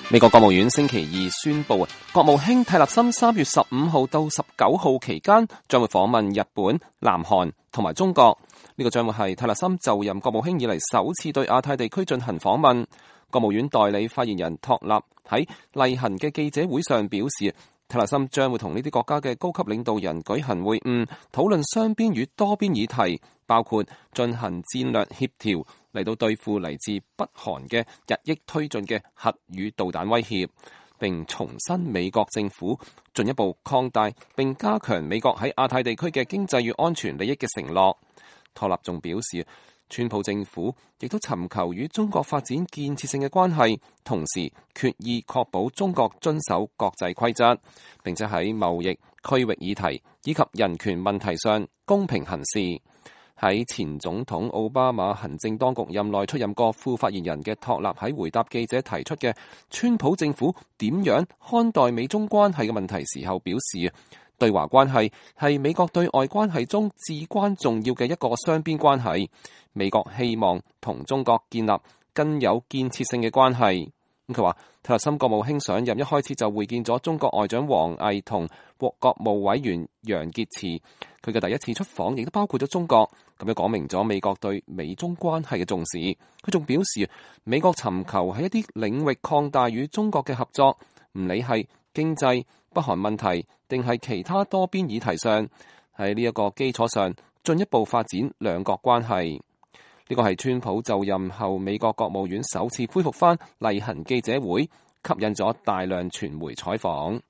美國國務院星期二宣布，國務卿蒂勒森3月15號到19號期間將會訪問日本、南韓同埋中國。呢個將會係蒂勒森就任國務卿以嚟首次對亞太地區進行訪問。國務院代理發言人托納喺例行嘅記者會上表示，蒂勒森將會同呢啲國家嘅高級領導人舉行會晤，討論雙邊與多邊議題，包括進行戰略協調，嚟到對付嚟自北韓嘅日益推進嘅核與導彈威脅，並重申美國政府進一步擴大並加強美國喺亞太地區嘅經濟與安全利益嘅承諾。托納仲表示，川普政府亦都尋求與中國發展建設性嘅關係，同時決意確保中國遵守國際規則，並且喺貿易、區域議題以及人權問題上公平行事。喺前總統奧巴馬行政當局任內出任過副發言人嘅托納喺回答記者提出嘅川普政府點樣看待美中關係嘅問題時候表示，對華關係係美國對外關係中至關重要嘅一個雙邊關係。美國希望同中國建立更有建設性嘅關係。佢話，蒂勒森國務卿上任一開始就會見咗中國外長王毅同國務委員楊潔篪，佢嘅第一次出訪亦都包括咗中國，咁樣講明咗美國對美中關係嘅重視。佢仲表示，美國尋求喺一啲領域擴大與中國嘅合作，唔理係經濟、北韓問題定係其他多邊議題上，喺呢一個基礎上進一步發展兩國關係。呢個係川普就任後美國國務院首次恢復返例行記者會，吸引咗大量傳媒採訪。